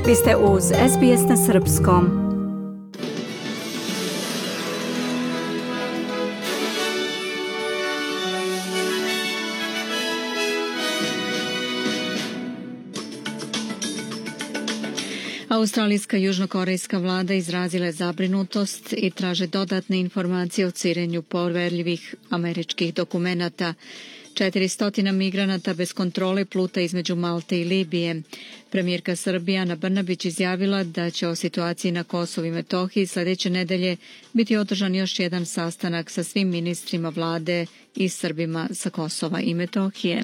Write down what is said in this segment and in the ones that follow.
Vi ste uz SBS na srpskom. Australijska i južnokorejska vlada izrazila je zabrinutost i traže dodatne informacije o cirenju poverljivih američkih dokumenata. 400 migranata bez kontrole pluta između Malte i Libije. Premijerka Srbije Ana Brnabić izjavila da će o situaciji na Kosovu i Metohiji sljedeće nedelje biti održan još jedan sastanak sa svim ministrima vlade i Srbima sa Kosova i Metohije.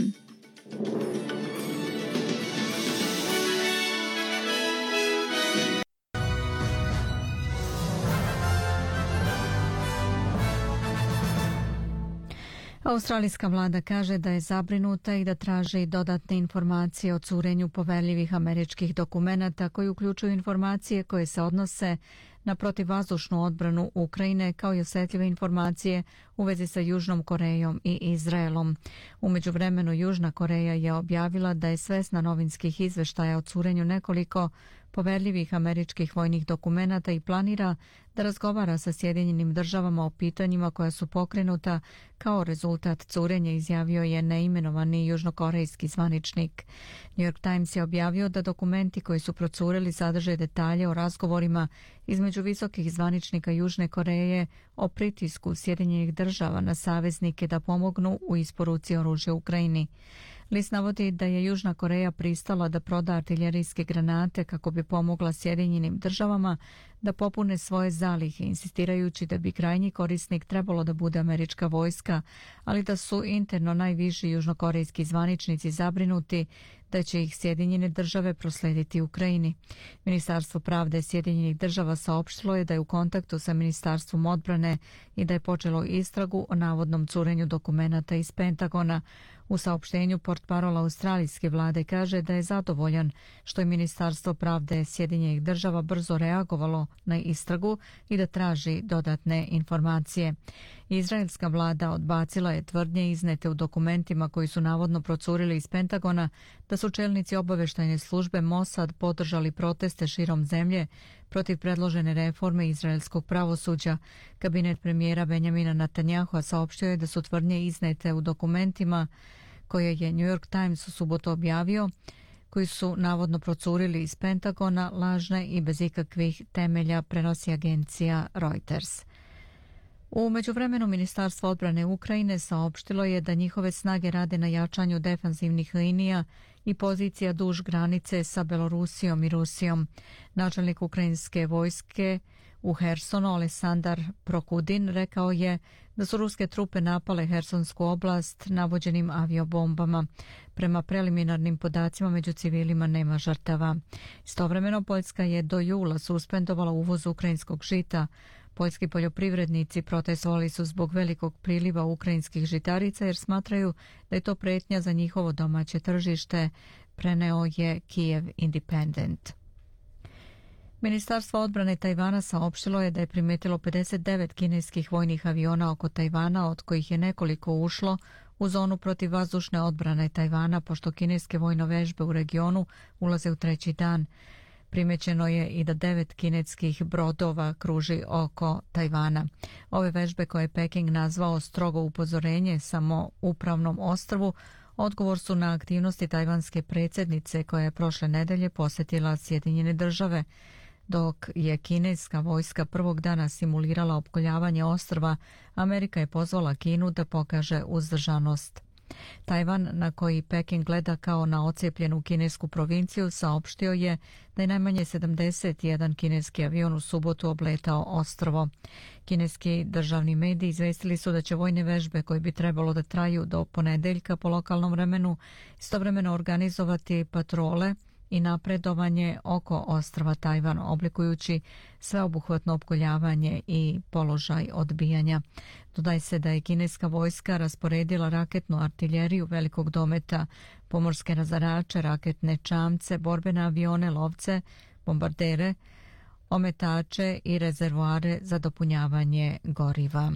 Australijska vlada kaže da je zabrinuta i da traži dodatne informacije o curenju poverljivih američkih dokumenata koji uključuju informacije koje se odnose na protivvazdušnu odbranu Ukrajine kao i osjetljive informacije u vezi sa Južnom Korejom i Izraelom. U međuvremenu Južna Koreja je objavila da je svesna novinskih izveštaja o curenju nekoliko poverljivih američkih vojnih dokumenata i planira da razgovara sa Sjedinjenim državama o pitanjima koja su pokrenuta kao rezultat curenja, izjavio je neimenovani južnokorejski zvaničnik. New York Times je objavio da dokumenti koji su procureli sadrže detalje o razgovorima između visokih zvaničnika Južne Koreje o pritisku Sjedinjenih država na saveznike da pomognu u isporuci oružja Ukrajini. List navodi da je Južna Koreja pristala da proda artiljerijske granate kako bi pomogla Sjedinjenim državama da popune svoje zalihe, insistirajući da bi krajnji korisnik trebalo da bude američka vojska, ali da su interno najviši južnokorejski zvaničnici zabrinuti da će ih Sjedinjene države proslediti Ukrajini. Ministarstvo pravde Sjedinjenih država saopštilo je da je u kontaktu sa Ministarstvom odbrane i da je počelo istragu o navodnom curenju dokumenata iz Pentagona. U saopštenju portparola australijske vlade kaže da je zadovoljan što je Ministarstvo pravde Sjedinjenih država brzo reagovalo na istragu i da traži dodatne informacije. Izraelska vlada odbacila je tvrdnje iznete u dokumentima koji su navodno procurili iz Pentagona da su čelnici obavještajne službe Mossad podržali proteste širom zemlje protiv predložene reforme izraelskog pravosuđa. Kabinet premijera Benjamina Netanjahua saopštio je da su tvrdnje iznete u dokumentima koje je New York Times u subotu objavio, koji su navodno procurili iz Pentagona, lažne i bez ikakvih temelja, prenosi agencija Reuters. U međuvremenu Ministarstvo odbrane Ukrajine saopštilo je da njihove snage rade na jačanju defanzivnih linija i pozicija duž granice sa Belorusijom i Rusijom. Načelnik ukrajinske vojske u Hersonu Alesandar Prokudin rekao je da su ruske trupe napale Hersonsku oblast navođenim aviobombama. Prema preliminarnim podacima među civilima nema žrtava. Istovremeno Poljska je do jula suspendovala uvoz ukrajinskog žita. Poljski poljoprivrednici protestovali su zbog velikog priliva ukrajinskih žitarica jer smatraju da je to pretnja za njihovo domaće tržište, preneo je Kiev Independent. Ministarstvo odbrane Tajvana saopštilo je da je primetilo 59 kineskih vojnih aviona oko Tajvana, od kojih je nekoliko ušlo u zonu protivvazdušne odbrane Tajvana, pošto kineske vojne vežbe u regionu ulaze u treći dan. Primećeno je i da 9 kineskih brodova kruži oko Tajvana. Ove vežbe koje je Peking nazvao strogo upozorenje samoupravnom ostrvu odgovor su na aktivnosti tajvanske predsjednice koja je prošle nedelje posjetila Sjedinjene države. Dok je kineska vojska prvog dana simulirala opkoljavanje ostrva, Amerika je pozvala Kinu da pokaže uzdržanost. Tajvan, na koji Peking gleda kao na ocijepljenu kinesku provinciju, saopštio je da je najmanje 71 kineski avion u subotu obletao ostrvo. Kineski državni mediji izvestili su da će vojne vežbe koje bi trebalo da traju do ponedeljka po lokalnom vremenu istovremeno organizovati patrole i napredovanje oko ostrva Tajvan, oblikujući sveobuhvatno opkoljavanje i položaj odbijanja. Dodaj se da je kineska vojska rasporedila raketnu artiljeriju velikog dometa, pomorske razarače, raketne čamce, borbene avione, lovce, bombardere, ometače i rezervoare za dopunjavanje goriva.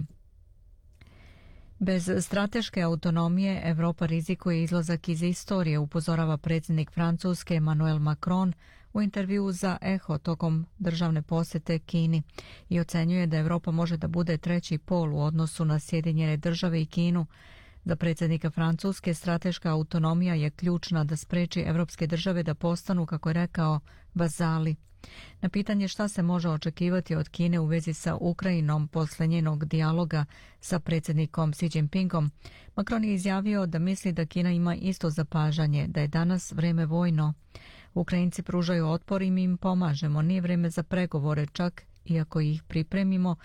Bez strateške autonomije Evropa rizikuje izlazak iz istorije, upozorava predsjednik Francuske Emmanuel Macron u intervjuu za Eho tokom državne posjete Kini i ocenjuje da Europa može da bude treći pol u odnosu na Sjedinjene države i Kinu. Za predsjednika Francuske strateška autonomija je ključna da spreči evropske države da postanu, kako je rekao, vazali. Na pitanje šta se može očekivati od Kine u vezi sa Ukrajinom posle njenog dijaloga sa predsjednikom Xi Jinpingom, Macron je izjavio da misli da Kina ima isto zapažanje, da je danas vreme vojno. Ukrajinci pružaju otpor i mi im pomažemo, nije vreme za pregovore, čak i ako ih pripremimo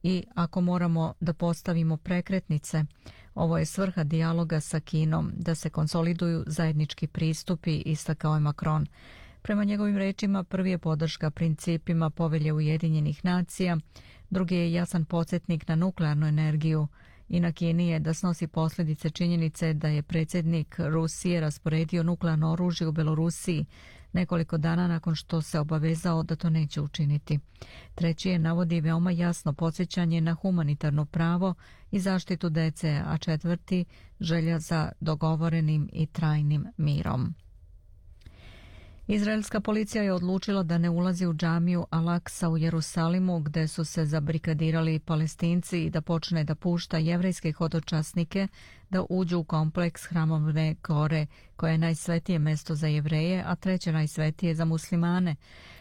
i ako moramo da postavimo prekretnice. Ovo je svrha dijaloga sa Kinom, da se konsoliduju zajednički pristupi, istakao je Macron. Prema njegovim rečima, prvi je podrška principima Povelje Ujedinjenih nacija, drugi je jasan podsjetnik na nuklearnu energiju i na Kini je da snosi posljedice činjenice da je predsjednik Rusije rasporedio nuklearno oružje u Belorusiji nekoliko dana nakon što se obavezao da to neće učiniti. Treći je navodi veoma jasno podsjećanje na humanitarno pravo i zaštitu dece, a četvrti želja za dogovorenim i trajnim mirom. Izraelska policija je odlučila da ne ulazi u džamiju Al-Aksa u Jerusalimu, gde su se zabrikadirali Palestinci, i da počne da pušta jevrejske hodočasnike da uđu u kompleks hramovne gore, koje je najsvetije mesto za Jevreje, a treće najsvetije za muslimane.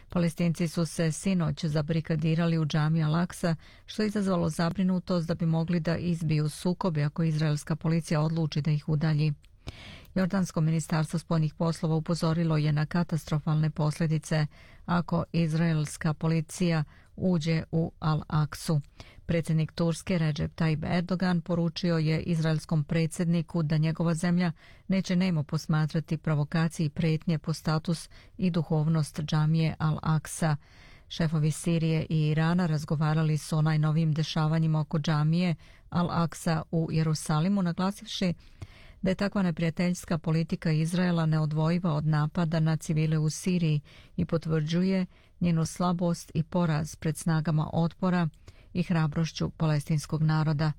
Palestinci su se sinoć zabrikadirali u džamiju Al-Aksa, što je izazvalo zabrinutost da bi mogli da izbiju sukobe ako izraelska policija odluči da ih udalji. Jordansko ministarstvo spoljnih poslova upozorilo je na katastrofalne posljedice ako izraelska policija uđe u Al-Aksu. Predsjednik Turske Recep Tayyip Erdogan poručio je izraelskom predsjedniku da njegova zemlja neće nemo posmatrati provokacije i pretnje po status i duhovnost džamije Al-Aksa. Šefovi Sirije i Irana razgovarali su o najnovijim dešavanjima oko džamije Al-Aksa u Jerusalimu, naglasivši da je takva neprijateljska politika Izraela neodvojiva od napada na civile u Siriji i potvrđuje njenu slabost i poraz pred snagama otpora i hrabrošću palestinskog naroda.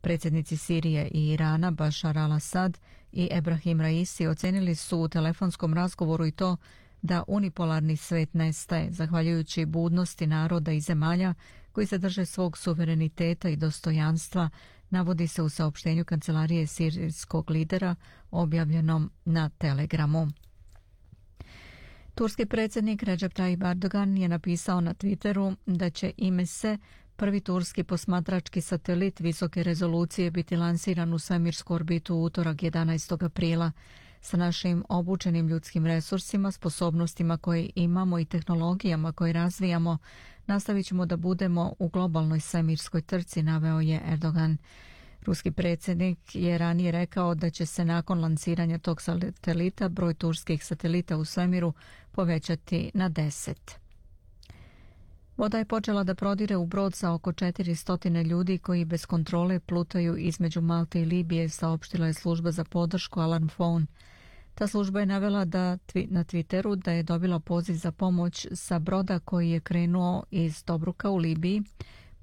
Predsjednici Sirije i Irana Bashar al-Assad i Ebrahim Raisi ocenili su u telefonskom razgovoru i to da unipolarni svet nestaje, zahvaljujući budnosti naroda i zemalja koji se drže svog suvereniteta i dostojanstva, navodi se u saopštenju kancelarije sirijskog lidera objavljenom na Telegramu. Turski predsjednik Recep Tayyip Erdogan je napisao na Twitteru da će IMESE, prvi turski posmatrački satelit visoke rezolucije, biti lansiran u svemirsku orbitu u utorak 11. aprila. Sa našim obučenim ljudskim resursima, sposobnostima koje imamo i tehnologijama koje razvijamo, nastavit ćemo da budemo u globalnoj svemirskoj trci, naveo je Erdogan. Ruski predsjednik je ranije rekao da će se nakon lansiranja tog satelita broj turskih satelita u svemiru povećati na 10. Voda je počela da prodire u brod sa oko 400 ljudi koji bez kontrole plutaju između Malte i Libije, saopštila je služba za podršku Alarm Phone. Ta služba je navela na Twitteru da je dobila poziv za pomoć sa broda koji je krenuo iz Tobruka u Libiji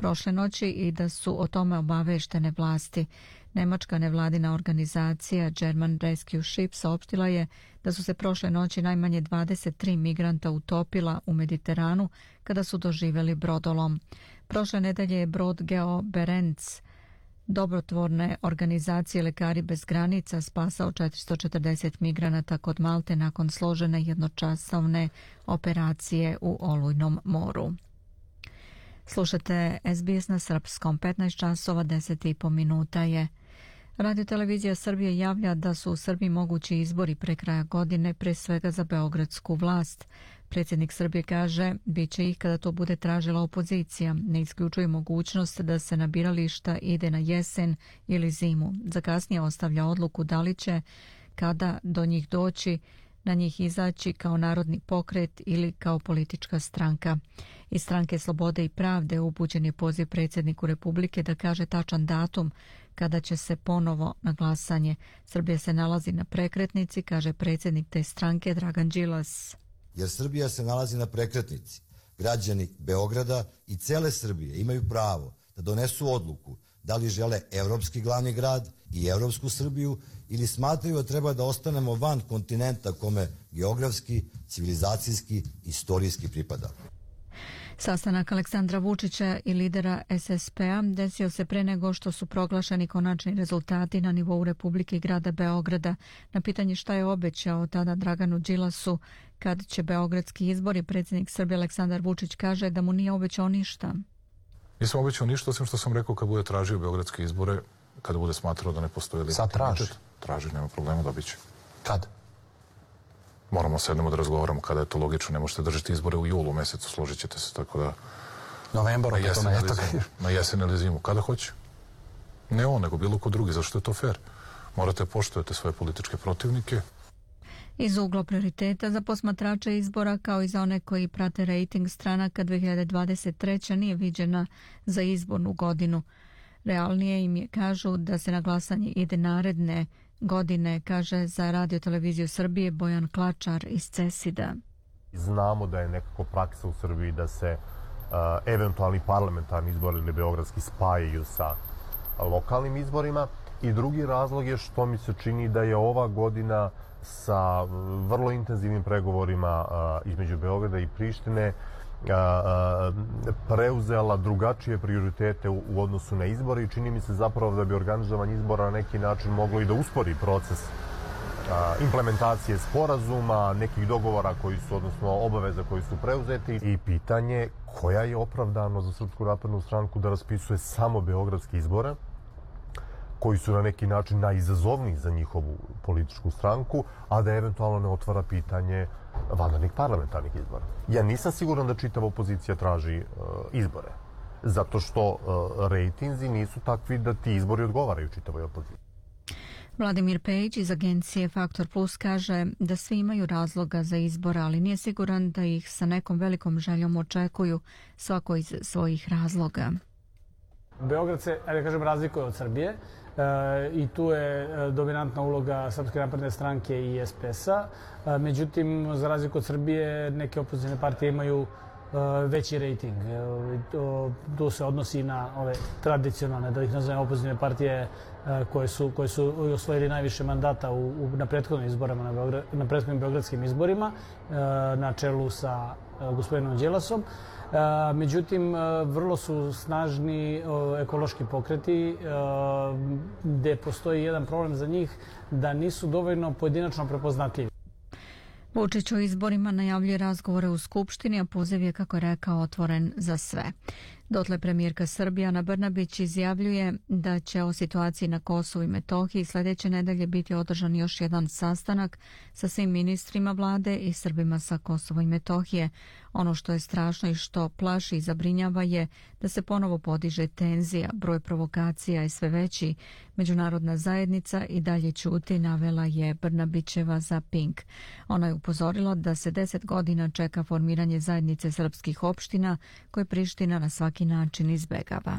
prošle noći i da su o tome obaveštene vlasti. Nemačka nevladina organizacija German Rescue Ship saopštila je da su se prošle noći najmanje 23 migranta utopila u Mediteranu kada su doživjeli brodolom. Prošle nedelje je brod Geo Berenc dobrotvorne organizacije Lekari bez granica spasao 440 migranata kod Malte nakon složene jednočasovne operacije u Olujnom moru. Slušate SBS na srpskom, 15 časova 10,5 minuta je. Radio Televizija Srbije javlja da su u Srbiji mogući izbori pre kraja godine, pre svega za beogradsku vlast. Predsjednik Srbije kaže, bit će ih kada to bude tražila opozicija. Ne isključuje mogućnost da se na birališta ide na jesen ili zimu. Za kasnije ostavlja odluku da li će, kada do njih doći, na njih izaći kao narodni pokret ili kao politička stranka. Iz Stranke Slobode i pravde upućen je poziv predsjedniku Republike da kaže tačan datum kada će se ponovo na glasanje. Srbija se nalazi na prekretnici, kaže predsjednik te stranke Dragan Đilas. Jer Srbija se nalazi na prekretnici. Građani Beograda i cele Srbije imaju pravo da donesu odluku da li žele evropski glavni grad i evropsku Srbiju ili smatraju da treba da ostanemo van kontinenta kome geografski, civilizacijski, istorijski pripada. Sastanak Aleksandra Vučića i lidera SSP-a desio se pre nego što su proglašeni konačni rezultati na nivou Republike i grada Beograda. Na pitanje šta je obećao tada Draganu Đilasu kad će beogradski izbori, predsjednik Srbije Aleksandar Vučić kaže da mu nije obećao ništa. Nisam obećao ništa, osim što sam rekao kad bude tražio beogradske izbore, kada bude smatrao da ne postoji legitimitet. Sad traži? Traži, nema problema, dobit će. Kad? Moramo sednemo da razgovaramo kada je to logično. Ne možete držati izbore u julu mesecu, složit ćete se, tako da... Novembar, opet to ne toga. Na jesen ili zimu, kada hoće. Ne on, nego bilo ko drugi, zašto je to fair? Morate poštovati svoje političke protivnike. Iz ugla prioriteta za posmatrače izbora, kao i za one koji prate rejting stranaka, 2023. nije viđena za izbornu godinu. Realnije im je, kažu, da se na glasanje ide naredne godine, kaže za Radio Televiziju Srbije Bojan Klačar iz CESID-a. Znamo da je nekako praksa u Srbiji da se eventualni parlamentarni izbori ili beogradski spajaju sa lokalnim izborima. I drugi razlog je što mi se čini da je ova godina sa vrlo intenzivnim pregovorima između Beograda i Prištine preuzela drugačije prioritete u odnosu na izbore i čini mi se zapravo da bi organizovanje izbora na neki način moglo i da uspori proces implementacije sporazuma, nekih dogovora koji su, odnosno obaveza koji su preuzeti i pitanje koja je opravdano za Srpsku naprednu stranku da raspisuje samo beogradske izbore, koji su na neki način najizazovniji za njihovu političku stranku, a da eventualno ne otvara pitanje vanrednih parlamentarnih izbora. Ja nisam siguran da čitava opozicija traži izbore, zato što rejtinzi nisu takvi da ti izbori odgovaraju čitavoj opoziciji. Vladimir Pejić iz agencije Faktor Plus kaže da svi imaju razloga za izbor, ali nije siguran da ih sa nekom velikom željom očekuju, svako iz svojih razloga. Beograd se, da kažem, razlikuje od Srbije i tu je dominantna uloga Srpske napredne stranke i SPS-a. Međutim, za razliku od Srbije, neke opozicijne partije imaju veći rejting. Tu se odnosi na ove tradicionalne, da ih nazovem, opozicijne partije koje su osvojili najviše mandata na prethodnim izborima, na prethodnim beogradskim izborima, na čelu sa gospodinom Đilasom. Međutim, vrlo su snažni ekološki pokreti gde postoji jedan problem za njih da nisu dovoljno pojedinačno prepoznatljivi. Vučić o izborima najavljuje razgovore u Skupštini, a poziv je, kako je rekao, otvoren za sve. Dotle premijerka Srbije Ana Brnabić izjavljuje da će o situaciji na Kosovu i Metohiji sljedeće nedelje biti održan još jedan sastanak sa svim ministrima vlade i Srbima sa Kosova i Metohije. Ono što je strašno i što plaši i zabrinjava je da se ponovo podiže tenzija, broj provokacija je sve veći. Međunarodna zajednica i dalje ćuti, navela je Brnabićeva za Pink. Ona je upozorila da se 10 godina čeka formiranje zajednice srpskih opština koje Priština na svaki način izbegava.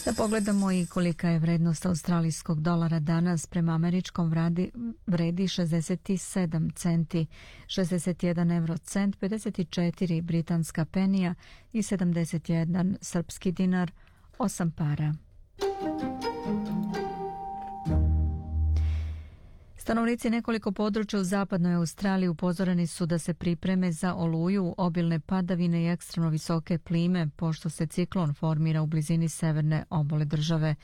Da pogledamo i kolika je vrednost australijskog dolara danas. Prema američkom vredi 67 centi, 61 eurocent, 54 britanska penija i 71 srpski dinar, 8 para. Stanovnici nekoliko područja u zapadnoj Australiji upozoreni su da se pripreme za oluju, obilne padavine i ekstremno visoke plime, pošto se ciklon formira u blizini severne obale države.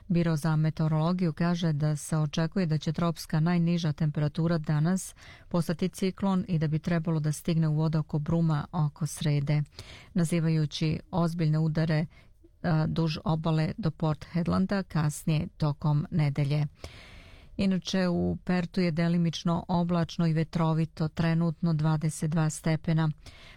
Biro za meteorologiju kaže da se očekuje da će tropska najniža temperatura danas postati ciklon i da bi trebalo da stigne u vodu oko Bruma oko srede, nazivajući ozbiljne udare duž obale do Port Hedlanda kasnije tokom nedelje. Inače, u Pertu je delimično oblačno i vetrovito, trenutno 22 stepena.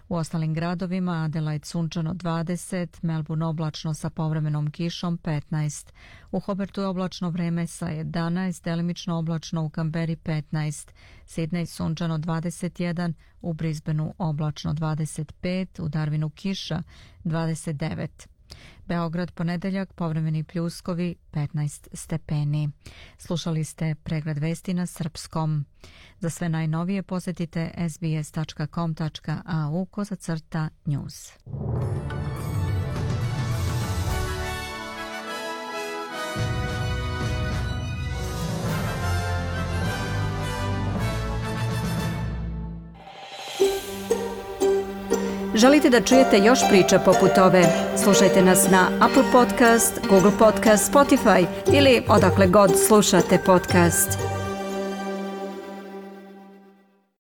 U ostalim gradovima Adelaide sunčano 20, Melbourne oblačno sa povremenom kišom 15. U Hobartu je oblačno vreme sa 11, delimično oblačno u Kamberi 15, Sydney sunčano 21, u Brisbaneu oblačno 25, u Darwinu kiša 29. Beograd ponedeljak, povremeni pljuskovi 15 stepeni. Slušali ste pregled vesti na srpskom. Za sve najnovije posjetite sbs.com.au/news. Želite da čujete još priča poput ove? Slušajte nas na Apple Podcast, Google Podcast, Spotify ili odakle god slušate podcast.